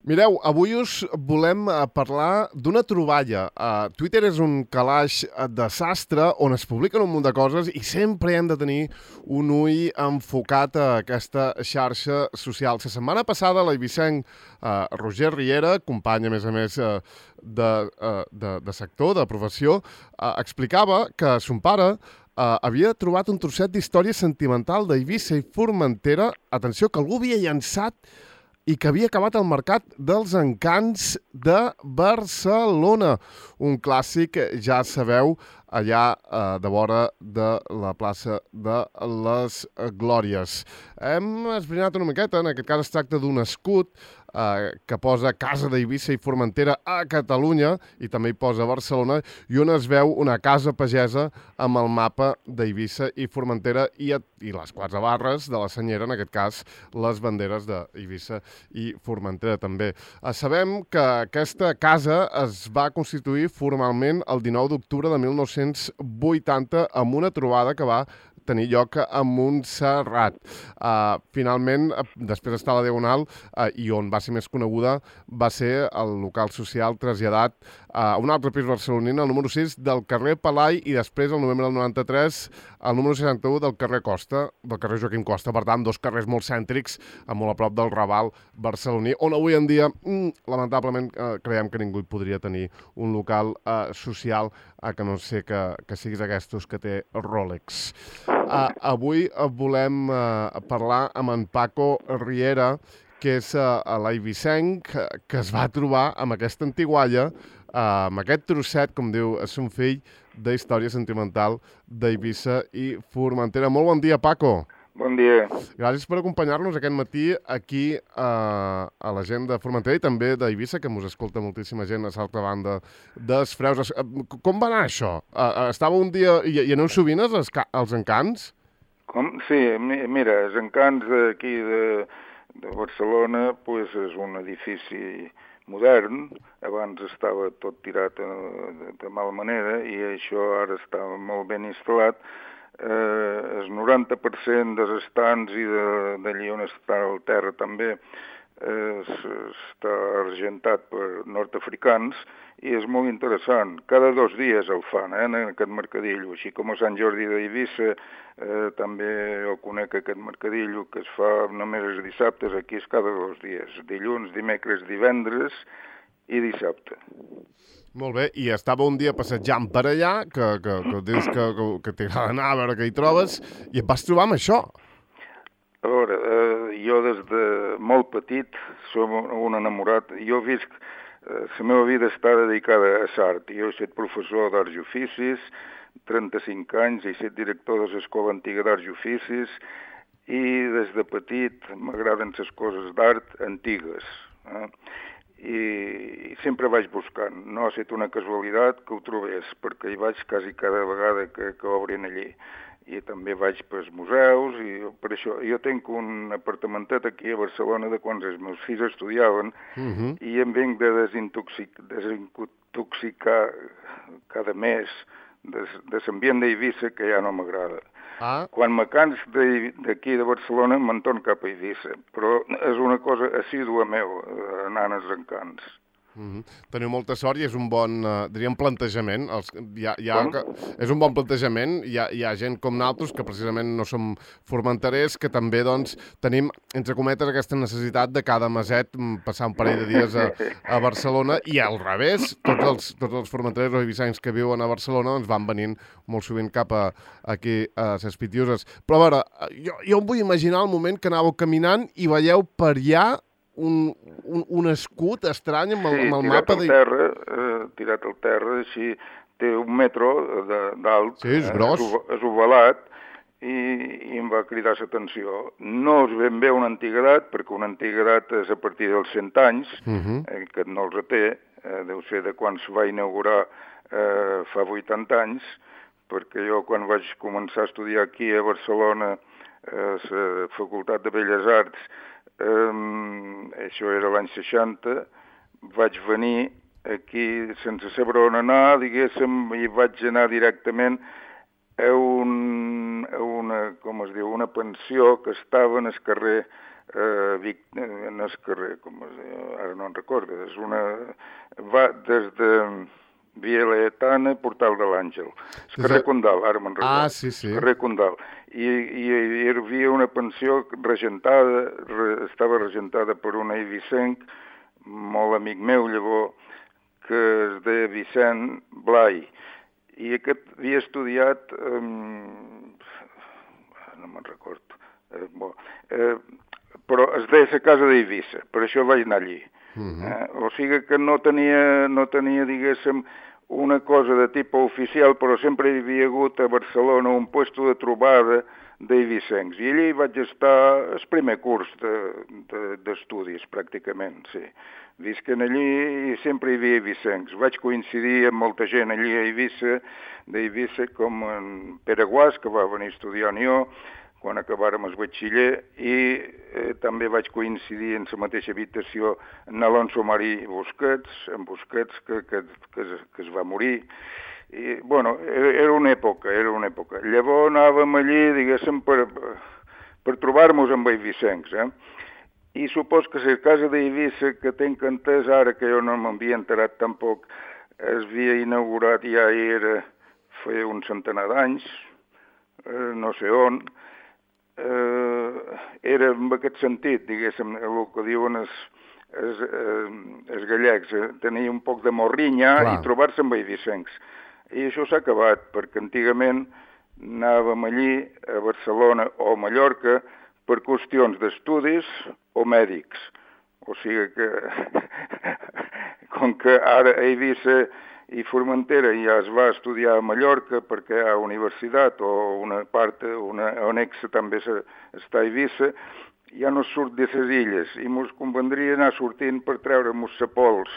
Mireu, avui us volem parlar d'una troballa. Twitter és un calaix de sastre on es publiquen un munt de coses i sempre hem de tenir un ull enfocat a aquesta xarxa social. La setmana passada l'eivissenc Roger Riera, company a més de sector, de professió, explicava que son pare havia trobat un trosset d'història sentimental d'Eivissa i Formentera, atenció, que algú havia llançat i que havia acabat al Mercat dels Encants de Barcelona. Un clàssic, ja sabeu, allà de vora de la plaça de les Glòries. Hem esbrinat una miqueta, en aquest cas es tracta d'un escut que posa Casa d'Eivissa i Formentera a Catalunya i també hi posa Barcelona i on es veu una casa pagesa amb el mapa d'Eivissa i Formentera i les quatre barres de la senyera, en aquest cas les banderes d'Eivissa i Formentera també. Sabem que aquesta casa es va constituir formalment el 19 d'octubre de 1980 amb una trobada que va tenir lloc a Montserrat. Finalment, després d'estar a la Diagonal, i on va ser més coneguda, va ser el local social traslladat a un altre pis barceloní, el número 6 del carrer Palai, i després, al novembre del 93, el número 61 del carrer Costa, del carrer Joaquim Costa. Per tant, dos carrers molt cèntrics, molt a prop del Raval barceloní, on avui en dia, lamentablement, creiem que ningú hi podria tenir un local social, que no sé que siguis aquests que té Rolex. Avui volem parlar amb en Paco Riera, que és l'eivissenc que es va trobar amb aquesta antigualla, amb aquest trosset, com diu son fill, d'història sentimental d'Eivissa i Formentera. Molt bon dia, Paco. Bon dia. Gràcies per acompanyar-nos aquest matí aquí a la gent de Formentera i també d'Eivissa, que mos escolta moltíssima gent a l'altra banda dels Freus. Com va anar això? Estava un dia i aneu sovint als encants? Com? Sí, mira, els encants d'aquí de Barcelona pues, és un edifici modern. Abans estava tot tirat de mala manera i això ara està molt ben instal·lat. El 90% dels estants i d'allí on està el terra també està argentat per nord-africans i és molt interessant. Cada 2 dies el fan, en aquest mercadillo. Així com a Sant Jordi d'Eivissa també el conec, aquest mercadillo, que es fa només els dissabtes. Aquí és cada 2 dies, dilluns, dimecres, divendres i dissabte. Molt bé, i estava un dia passejant per allà, que dius que t'agrada anar a veure què hi trobes, i et vas trobar amb això. A veure, jo des de molt petit som un enamorat. Jo he vist la meva vida està dedicada a l'art. Jo he estat professor d'arts i oficis, 35 anys, he estat director de l'Escola Antiga d'Arts i Oficis, i des de petit m'agraden les coses d'art antigues. I sempre vaig buscant. No ha estat una casualitat que ho trobés, perquè hi vaig quasi cada vegada que obrin allí. I també vaig pels museus, i per això jo tinc un apartamentet aquí a Barcelona de quan els meus fills estudiaven, i em vinc de desintoxicar cada mes de l'ambient d'Eivissa, que ja no m'agrada. Quan me cans d'aquí de Barcelona me'n torno cap a Eivissa, però és una cosa assídua meu, anant als encants. Teniu molta sort i és un bon, diríem, plantejament. És un bon plantejament. Hi ha gent com nosaltres que precisament no som formenterers, que també doncs, tenim, entre cometes, aquesta necessitat de cada meset passar un parell de dies a Barcelona i al revés. Tots els formenterers o eivissencs que viuen a Barcelona doncs, van venint molt sovint cap aquí a les Pitiuses. Però a veure, jo em vull imaginar el moment que anàveu caminant i veieu per allà un escut estrany amb el mapa de... Tirat al terra, així té 1 metre d'alt, sí, és gros, és ovalat, i em va cridar l'atenció. No és ben bé una antiguitat, perquè una antiguitat és a partir dels 100 anys, que no els té, deu ser de quan es va inaugurar fa 80 anys, perquè jo quan vaig començar a estudiar aquí a Barcelona a la Facultat de Belles Arts, això era l'any 60, vaig venir aquí sense saber on anar, diguéssim, i vaig anar directament a una pensió que estava en el carrer en el carrer, ara no en recordo, va des de Via Laietana, Portal de l'Àngel. El carrer Condal, ara me'n recordo. Sí. Carrer Condal. I hi havia una pensió regentada, estava regentada per un eivissenc, molt amic meu llavors, que es deia Vicent Blai. I aquest havia estudiat, no me'n recordo, però es deia la casa d'Eivissa, per això vaig anar allí. O sigui que no tenia, diguéssim, una cosa de tipus oficial, però sempre hi havia hagut a Barcelona un puesto de trobada d'eivissencs. I allí vaig estar el primer curs d'estudis, pràcticament, sí. Visquen allí i sempre hi havia eivissencs. Vaig coincidir amb molta gent allí a Eivissa, d'Eivissa, com en Pere Guas, que va venir a estudiar on jo, quan acabàrem el batxiller, i també vaig coincidir en la mateixa habitació amb Alonso Marí Busquets, que es va morir. I, bueno, era una època. Llavors anàvem allí, diguéssim, per trobar-nos amb eivissencs, I supos que la casa d'Eivissa, que tinc entès ara, que jo no m'havia enterat tampoc, es havia inaugurat ja feia un centenar d'anys, no sé on, era en aquest sentit, diguéssim, el que diuen els gallecs, tenir un poc de morrinya i trobar-se amb eivissencs. I això s'ha acabat, perquè antigament anàvem allí, a Barcelona o a Mallorca, per qüestions d'estudis o mèdics. O sigui que, com que ara a Eivissa i Formentera ja es va estudiar a Mallorca perquè hi ha universitat o una part, una anexa també està a Eivissa, ja no surt de les illes i ens convendria anar sortint per treure-nos la pols.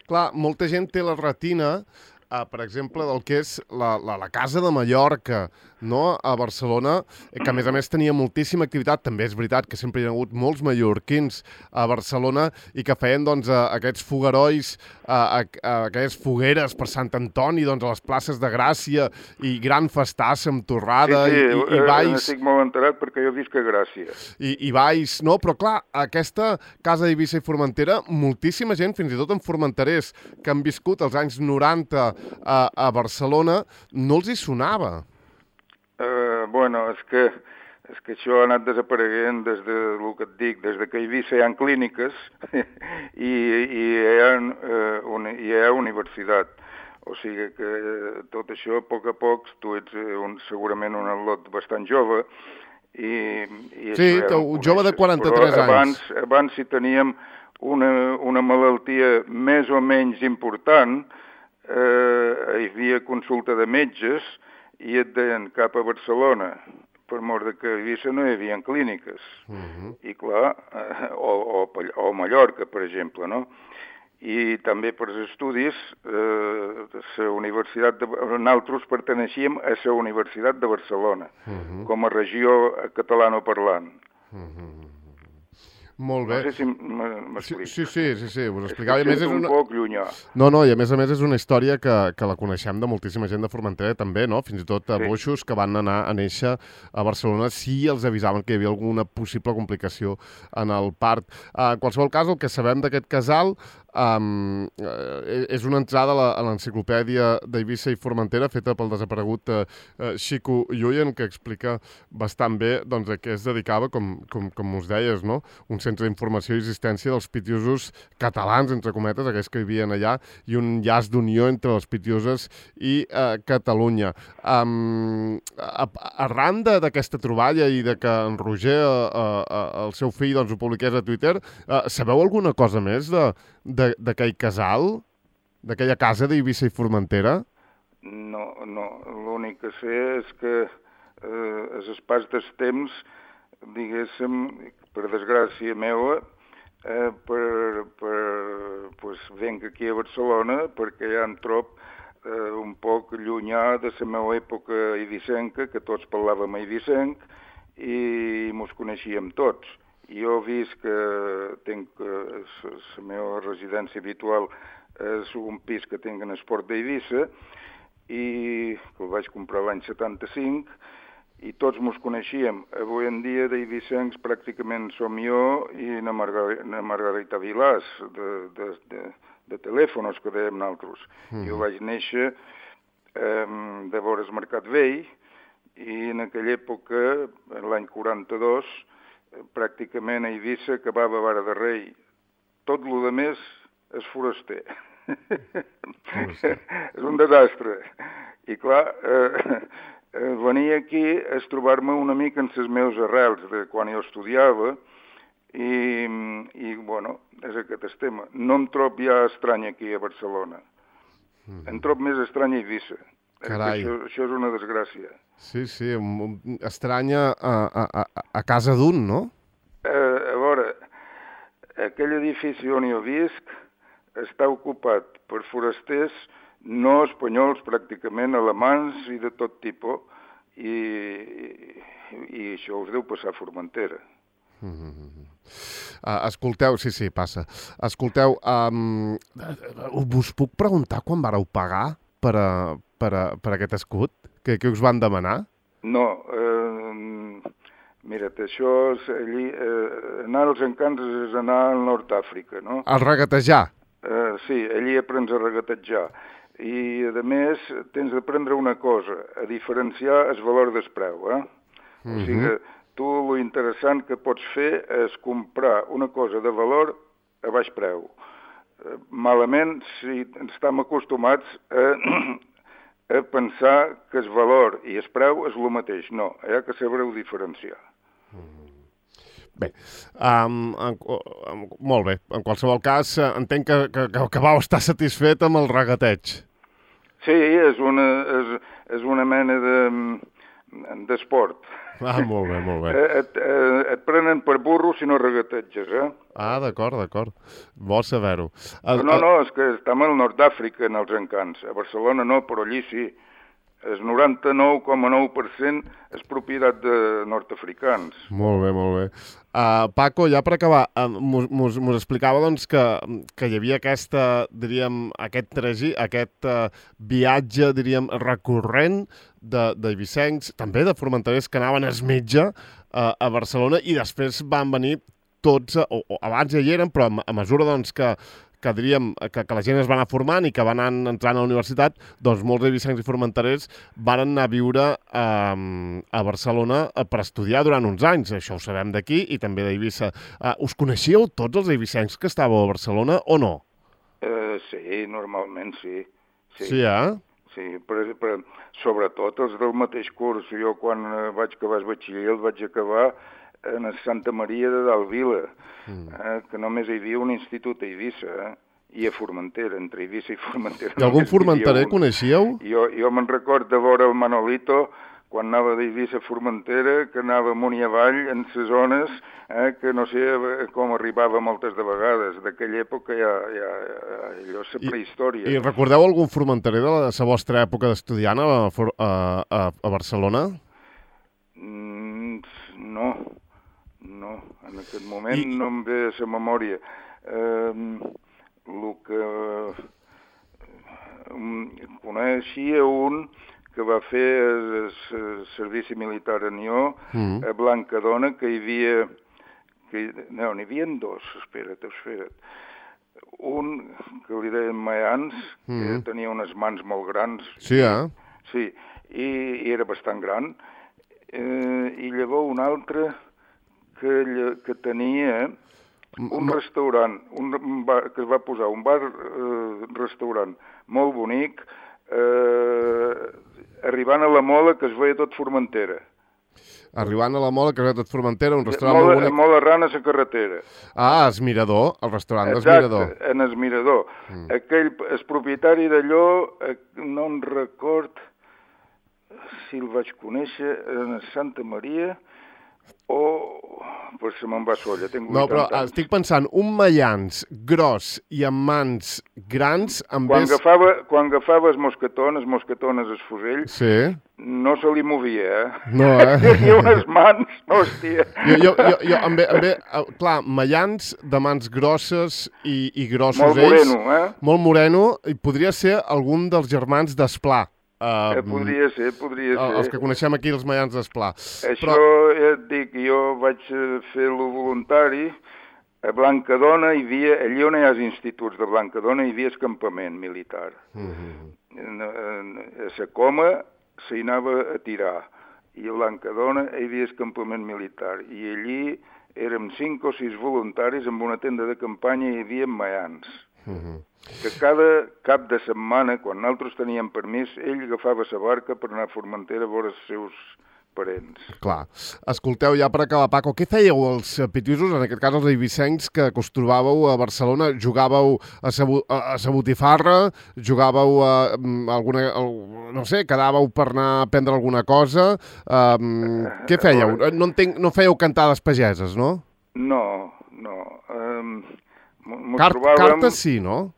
Clar, molta gent té la retina, per exemple, del que és la Casa de Mallorca, no? A Barcelona, que a més tenia moltíssima activitat. També és veritat que sempre hi ha hagut molts mallorquins a Barcelona i que feien doncs, aquests foguerois, aquelles fogueres per Sant Antoni, doncs, a les places de Gràcia i gran festassa amb torrada i balls. Estic molt enterat perquè jo visc a Gràcia. I balls, no? Però clar, aquesta casa d'Eivissa i Formentera, moltíssima gent, fins i tot en formenterers, que han viscut els anys 90 a Barcelona, no els hi sonava. Bueno, és que això ha anat desapareguent des de, el que et dic, des que a Eivissa hi ha clíniques i hi ha universitat. O sigui que tot això, a poc, tu ets segurament un atlot bastant jove. Sí, jove de 43 anys. Abans si teníem una malaltia més o menys important, hi havia consulta de metges i et deien cap a Barcelona, per mort que a Eivissa no hi havia clíniques. I clar, o Mallorca, per exemple, no? I també per als estudis, la Universitat nosaltres perteneixíem a la Universitat de Barcelona, com a regió catalanoparlant. Molt bé. No sé si m'explico. Sí, us explicava. És un poc llunyà. No, i a més és una història que la coneixem de moltíssima gent de Formentera també, no? Fins i tot boixos que van anar a néixer a Barcelona si els avisaven que hi havia alguna possible complicació en el part. En qualsevol cas, el que sabem d'aquest casal és una entrada a l'enciclopèdia d'Eivissa i Formentera feta pel desaparegut Xico Lluyen, que explica bastant bé doncs, a què es dedicava, com us deies, no? Un centre d'informació i assistència dels pitiusos catalans, entre cometes, aquells que vivien allà, i un llaç d'unió entre les pitiuses i Catalunya. Arran d'aquesta troballa i de que en Roger, el seu fill, doncs, ho publiqués a Twitter, sabeu alguna cosa més d'aquell casal? D'aquella casa d'Eivissa i Formentera? No. L'únic que sé és que els pas del temps, diguéssim, per desgràcia meva, venc aquí a Barcelona perquè ja em trob un poc llunyà de la meva època eivissenca, que tots parlàvem eivissenc i mos coneixíem tots. Jo visc que tinc la meva residència habitual és un pis que tinc en el Port d'Eivissa i que el vaig comprar l'any 75 i tots mos coneixíem. Avui en dia d'eivissencs pràcticament som jo i na Margarita Vilàs, de telèfonos que dèiem nosaltres. Jo vaig néixer de vores Mercat Vell i en aquella època, l'any 42, pràcticament a Eivissa acabava Vara de Rei. Tot el de més és foraster. És un desastre. I clar, venir aquí és trobar-me una mica en les meves arrels de quan jo estudiava i bueno, és aquest el tema. No em trob ja estrany aquí a Barcelona. Em trob més estrany a Eivissa. Carai. Això és una desgràcia. Sí, estranya a casa d'un, no? A veure, aquell edifici on jo visc està ocupat per forasters no espanyols, pràcticament alemans i de tot tipus, i això us deu passar a Formentera. Escolteu, sí, passa. Escolteu, us puc preguntar quan vareu pagar per aquest escut? Què us van demanar? No, mira't, això és allí, anar als encants és anar al Nord d'Àfrica, no? El regatejar? Sí, allí aprens a regatejar. I, a més, tens d'aprendre una cosa, a diferenciar el valor del preu, O sigui, tu lo interessant que pots fer és comprar una cosa de valor a baix preu. Malament si estem acostumats a pensar que el valor i el preu és el mateix. No, hi ha que saber-ho diferenciar. Bé, molt bé. En qualsevol cas, entenc que vau estar satisfet amb el regateig. Sí, és una mena d'esport. Molt bé. Et prenen per burro si no regateges, D'acord. Bo saber-ho. No, és que estem al Nord d'Àfrica, en els encants. A Barcelona no, però allí sí. El 99,9% és propietat de nord-africans. Molt bé. Paco, ja per acabar, mos explicava doncs, que hi havia aquest viatge, diríem, recurrent d'eivissencs, també de formenterers que anaven al metge a Barcelona i després van venir tots, o abans ja hi eren, però a mesura doncs, que diríem que la gent es va anar formant i que van anar entrant a la universitat, doncs molts eivissencs i formenterers van anar a viure a Barcelona per estudiar durant uns anys. Això ho sabem d'aquí i també d'Eivissa. Us coneixíeu tots els eivissencs que estàveu a Barcelona o no? Sí, normalment sí. Sí, Sí, però sobretot els del mateix curs. Jo quan vaig acabar el batxiller el vaig acabar a Santa Maria de Dalvila, que només hi havia un institut a Eivissa, i a Formentera, entre Eivissa i Formentera. I algun formenterer coneixíeu? Jo me'n record de veure el Manolito, quan anava d'Eivissa a Formentera, que anava amunt i avall en les zones, que no sé com arribava moltes de vegades. D'aquella època allò és la prehistòria. I recordeu algun formenterer de la vostra època d'estudiant a Barcelona? No, en aquest moment no em ve a la memòria. El que coneixia un que va fer el servici militar a Nió, a Blancadona, que hi havia... No, n'hi havia dos, espera't. Un que li deien Mayans, que tenia unes mans molt grans. Sí, Sí, i era bastant gran. I llavors un altre que tenia un restaurant, que es va posar un bar-restaurant molt bonic, arribant a la Mola, que es veia tot Formentera. Arribant a la Mola, que es veia tot Formentera, un restaurant molt bonic. Molt arran a la carretera. El Mirador, el restaurant del Mirador. Exacte, en el Mirador. El propietari d'allò, no em record si el vaig conèixer a Santa Maria o... Pues se me'n va solla, tinc 80 anys. No, però estic pensant, un Mayans gros i amb mans grans... Quan agafava els mosquetones el fusell, sí. No se li movia, No, Tenia unes mans, hòstia. Jo clar, Mayans de mans grosses i grossos molt ells. Molt moreno, Molt moreno, i podria ser algun dels germans d'Esplà. Podria ser. Els que coneixem aquí els maians d'Esplà. Això, ja et dic, jo vaig fer-lo voluntari. A Blancadona hi havia, allà on hi ha els instituts de Blancadona, hi havia el campament militar. A la Coma s'hi anava a tirar, i a Blancadona hi havia el campament militar. I allí érem 5 o 6 voluntaris amb una tenda de campanya i hi havia maians. Que cada cap de setmana, quan nosaltres teníem permís, ell agafava la barca per anar a Formentera a veure els seus parents. Clar. Escolteu, ja per acabar, Paco, què fèieu els pitiusos, en aquest cas els eivissencs, que trobàveu a Barcelona? Jugàveu a sa botifarra? Jugàveu a alguna... no sé, quedàveu per anar a prendre alguna cosa? Què fèieu? No fèieu cantades pageses, no? No. Cartes sí, no?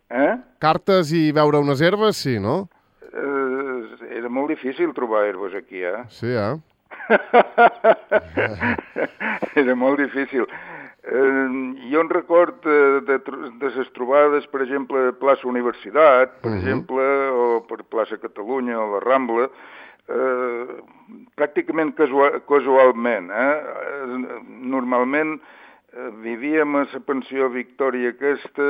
Cartes i veure unes herbes, sí, no? Era molt difícil trobar herbes aquí, Sí, Era molt difícil. Jo en record de les trobades, per exemple, a plaça Universitat, per exemple, o per plaça Catalunya o la Rambla, pràcticament casualment. Normalment vivíem a la pensió Victòria aquesta,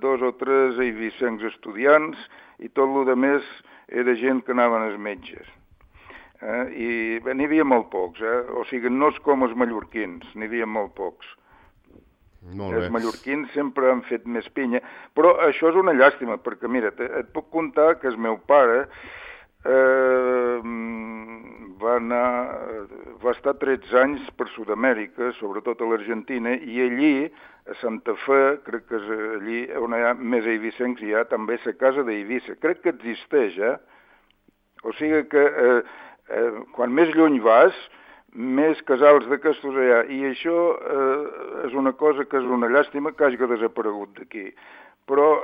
2 o 3 eivissencs estudiants, i tot el més era gent que anaven als metges. I n'hi havia molt pocs, o sigui, no és com els mallorquins, n'hi havia molt pocs. Els mallorquins sempre han fet més pinya, però això és una llàstima, perquè mira, et puc contar que el meu pare va estar 13 anys per Sud-amèrica, sobretot a l'Argentina, i allí, a Santa Fe, crec que és allí on hi ha més eivissencs, hi ha també la casa d'Eivissa. Crec que existeix, O sigui que quan més lluny vas, més casals d'aquestos hi ha. I això és una cosa que és una llàstima que hagi desaparegut d'aquí. Però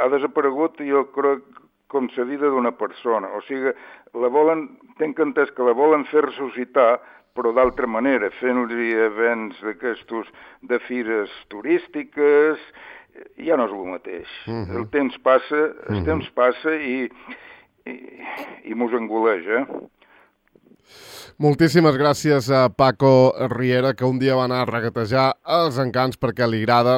ha desaparegut, jo crec, com la vida d'una persona. O sigui, tenc entès que la volen fer ressuscitar, però d'altra manera, fent-li events d'aquestos de fires turístiques, ja no és el mateix. El temps passa i mos engoleix, Moltíssimes gràcies a Paco Riera, que un dia va anar a regatejar els Encants perquè li agrada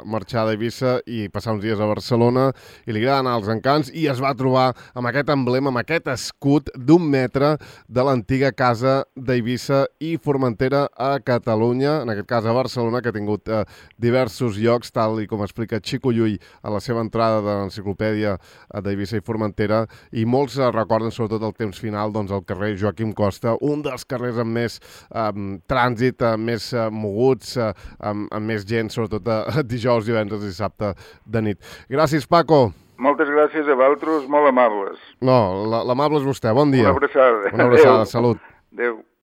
marxar d'Eivissa i passar uns dies a Barcelona, i li agrada anar als Encants, i es va trobar amb aquest emblema, amb aquest escut d'1 metre de l'antiga casa d'Eivissa i Formentera a Catalunya, en aquest cas a Barcelona, que ha tingut diversos llocs, tal i com explica Xico Llull a la seva entrada de l'enciclopèdia d'Eivissa i Formentera, i molts recorden sobretot el temps final, doncs, al carrer Joaquim Costa, un dels carrers amb més trànsit, més moguts, amb més gent, sobretot dijous, divendres i dissabte de nit. Gràcies, Paco. Moltes gràcies a vosaltres, molt amables. No, l'amable és vostè. Bon dia. Una abraçada. Una abraçada, salut. Adéu.